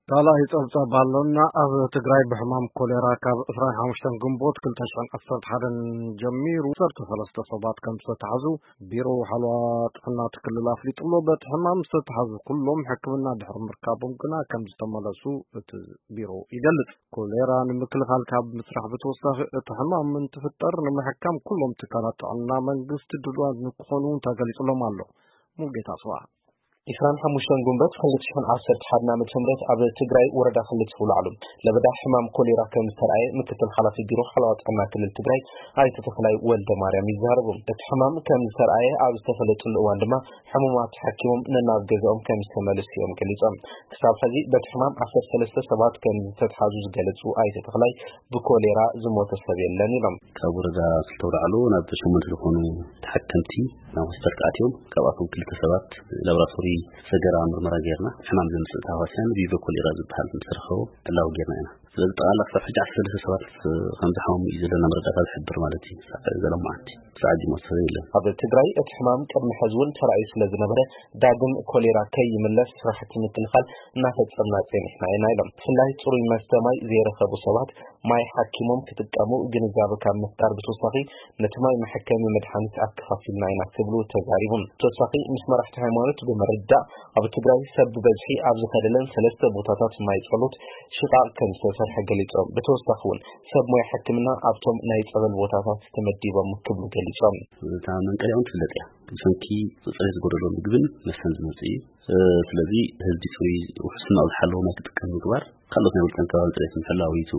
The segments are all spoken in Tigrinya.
ካልኣይ ጸብጻብ ኣሎና። ኣብ ትግራይ ብሕማም ኮሌራ ካብ ዕስራን ሓሙሽተን ግንቦት ክልተ ሽሕን ዓሰርተ ሓደን ጀሚሩ ዓሰርተ ሰለስተ ሰባት ከም ዝተታሕዙ ቢሮ ሓለዋ ጥዕና እቲ ክልል ኣፍሊጡ ኣሎ። በቲ ሕማም ዝተታሕዙ ኩሎም ሕክምና ድሕሪ ምርካቦም ግና ከም ዝተመለሱ እቲ ቢሮ ይገልጽ። ኮሌራ ንምክልኻል ካብ ምስራሕ ብተወሳኺ እቲ ሕማም እንትፍጠር ንምሕካም ኩሎም ትካላት ጥዕና መንግስቲ ድሉዋት ንክኾኑ እውን ተገሊጹሎም ኣሎ። ሙሉጌታ ኣስዋ። ዕስራን ሓሙሽተን ግንቦት ክልተ ሽሕን ዓሰርተ ሓደን ዓመተ ምህረት ኣብ ትግራይ ወረዳ ክልተ ውላዕሉ ለበዳ ሕማም ኮሌራ ከም ዝተርኣየ ምክትል ሓላፊ ቢሮ ሓለዋ ጥዕና ክልል ትግራይ ኣይተ ተኽላይ ወልደ ማርያም ይዛረቡ። እቲ ሕማም ከም ዝተርኣየ ኣብ ዝተፈለጠሉ እዋን ድማ ሕሙማት ተሓኪሞም ነናብ ገዛኦም ከም ዝተመለሱ እዮም ገሊጾም። ክሳብ ሕዚ በቲ ሕማም ዓሰርተ ሰለስተ ሰባት ከም ዝተትሓዙ ዝገለጹ ኣይተ ተኽላይ ብኮሌራ ዝሞተ ሰብ የለን ኢሎም። ካብ ወረዳ ክልተ ውላዕሉ ናብ ሸሞንተ ዝኾኑ ተሓከምቲ ናብ ሆስፒታል ተኣትዮም። ካብኣቶም ክልተ ሰባት ላቦራቶሪ ሰገራ ምርመራ ጌርና፣ ሕማም ዘምጽእ ተሃዋስያን ቪቨ ኮሌራ ዝበሃል ምስ ረኸቦ ዕላዊ ጌርና ኢና። ስለዚ ጠቕላላ ክሳብ ሕጂ ዓሰርተ ሰለስተ ሰባት ከም ዝሓመሙ እዩ ዘለና መረዳእታ ዝሕብር ማለት እዩ። ክሳብ ዘሎ መዓልቲ ክሳብ ሕጂ ሞት ሰብ የለን። ኣብ ትግራይ እቲ ሕማም ቅድሚ ሕዚ እውን ተራእዩ ስለ ዝነበረ ዳግም ኮሌራ ከይምለስ ስራሕቲ ምክልኻል እናፈጸምና ጸኒሕና ኢና ኢሎም። ብፍላይ ጽሩይ መስተ ማይ ዘይረኸቡ ሰባት ማይ ሓኪሞም ክጥቀሙ ግንዛበ ካብ ምፍጣር ብተወሳኺ ነቲ ማይ መሐከሚ መድሓኒት ኣከፋፊልና ኢና ክብሉ ተዛሪቦም። ተወሳኺ ምስ መራሕቲ ሃይማኖት ብምርዳእ ኣብ ትግራይ ሰብ ብበዝሒ ኣብ ዝኸደለን ሰለስተ ቦታታት ማይ ጸሎት ሽቓቕ ከም ዝተሰርሐ ገሊጾም። ብተወሳኺ እውን ሰብ ሞያ ሕክምና ኣብቶም ናይ ጸበል ቦታታት ተመዲቦም ክብሉ ገሊጾም። እታ መንቀሊያ እውን ትፍለጥ እያ። ብሰንኪ ጽሬት ዝጎደሎ ምግብን መስተን ዝመጽእ እዩ። እ፣ ስለዚ ህዝቢ ጽሩይ ውሕስናኡ ዝሓለወ ማይ ክጥቀም ምግባር፣ ካልኦት ናይ ውልቀን ከባቢ ጽሬት ምሕላው እዩ እቲ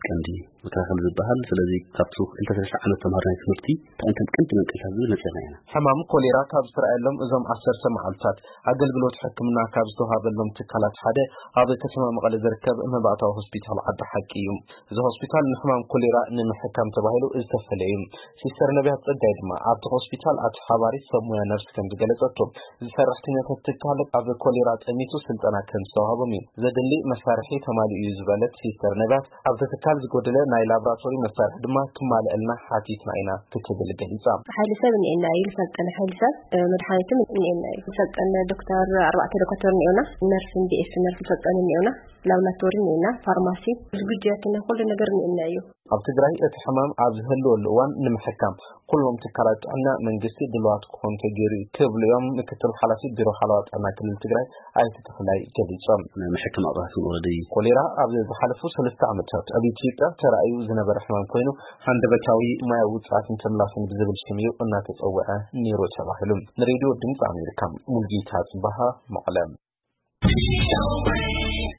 ቀንዲ መከላኸሊ ዝበሃል። ስለዚ ካብቲ ክልተ ሰለስተ ዓመት ተምሃሮ ናይ ትምህርቲ እንታይ እንታይ ቀንዲ መንቀሊታት ዝብል መጺእና ኢና። ሕማም ኮሌራ ካብ ዝተራእየሎም እዞም ዓሰርተ መዓልታት ኣገልግሎት ሕክምና ካብ ዝተዋሃበሎም ትካላት ሓደ ኣብ ከተማ መቐለ ዝርከብ መባእታዊ ሆስፒታል ዓዲ ሓቂ እዩ። እዚ ሆስፒታል ንሕማም ኮሌራ ንምሕካም ተባሂሉ ዝተፈለየ እዩ። ሲስተር ነቢያት ጸጋይ ድማ ኣብቲ ሆስፒታል ኣቲ ሓባሪት ሰብ ሞያ ነርስ ከም ዝገለጸቶ፣ እዚ ሰራሕተኛታት ትካል ኣብ ኮሌራ ጠሚቱ ስልጠና ከም ዝተዋህቦም እዩ። ዘድሊ መሳርሒ ተማሊኡ እዩ ዝበለት ሲስተር ነቢያት፣ ኣብቲ ትካል ዝጎደለ ናይ ላብራቶሪ መሳርሒ ድማ ክማልእልና ሓቲትና ኢና ክትብል ገሊጻ። ሓይሊ ሰብ እኒኤና እዩ፣ ዝሰልጠነ ሓይሊ ሰብ፣ እ፣ መድሓኒትም እኒኤና እዩ። ዝሰልጠነ ዶክተር፣ ኣርባዕተ ዶክተር እኒኤውና፣ ነርስ፣ ቢ ኤስ ነርስ ዝሰልጠነ እኒኤውና፣ ላብራቶሪ እኒኤና፣ ፋርማሲ፣ ዝግጁ ያተና ኩሉ ነገር እኒኤና እዩ። ኣብ ትግራይ እቲ ሕማም ኣብ ዝህልወሉ እዋን ንምሕካም ኩሎም ትካላት ጥዕና መንግስቲ ድልዋት ክኾኑ ተገይሩ እዩ ክብሉ እዮም ምክትል ሓላፊ ቢሮ ሓለዋ ጥዕና ክልል ትግራይ ኣይተ ተኽላይ ገሊጾም። ናይ መሕከም ኣቕርባትን ወረዲ። ኮሌራ ኣብ ዝሓለፉ ሰለስተ ዓመታት ኣብ ኢትዮጵያ ተራእዩ ዝነበረ ሕማም ኮይኑ፣ ሃንደበታዊ ማያዊ ውጽኣትን ተምላስን ብዝብል ሽም እዩ እናተጸውዐ ነይሩ ተባሂሉ። ንሬድዮ ድምፂ ኣሜሪካ ሙልጌታ ጽባሃ መቐለ።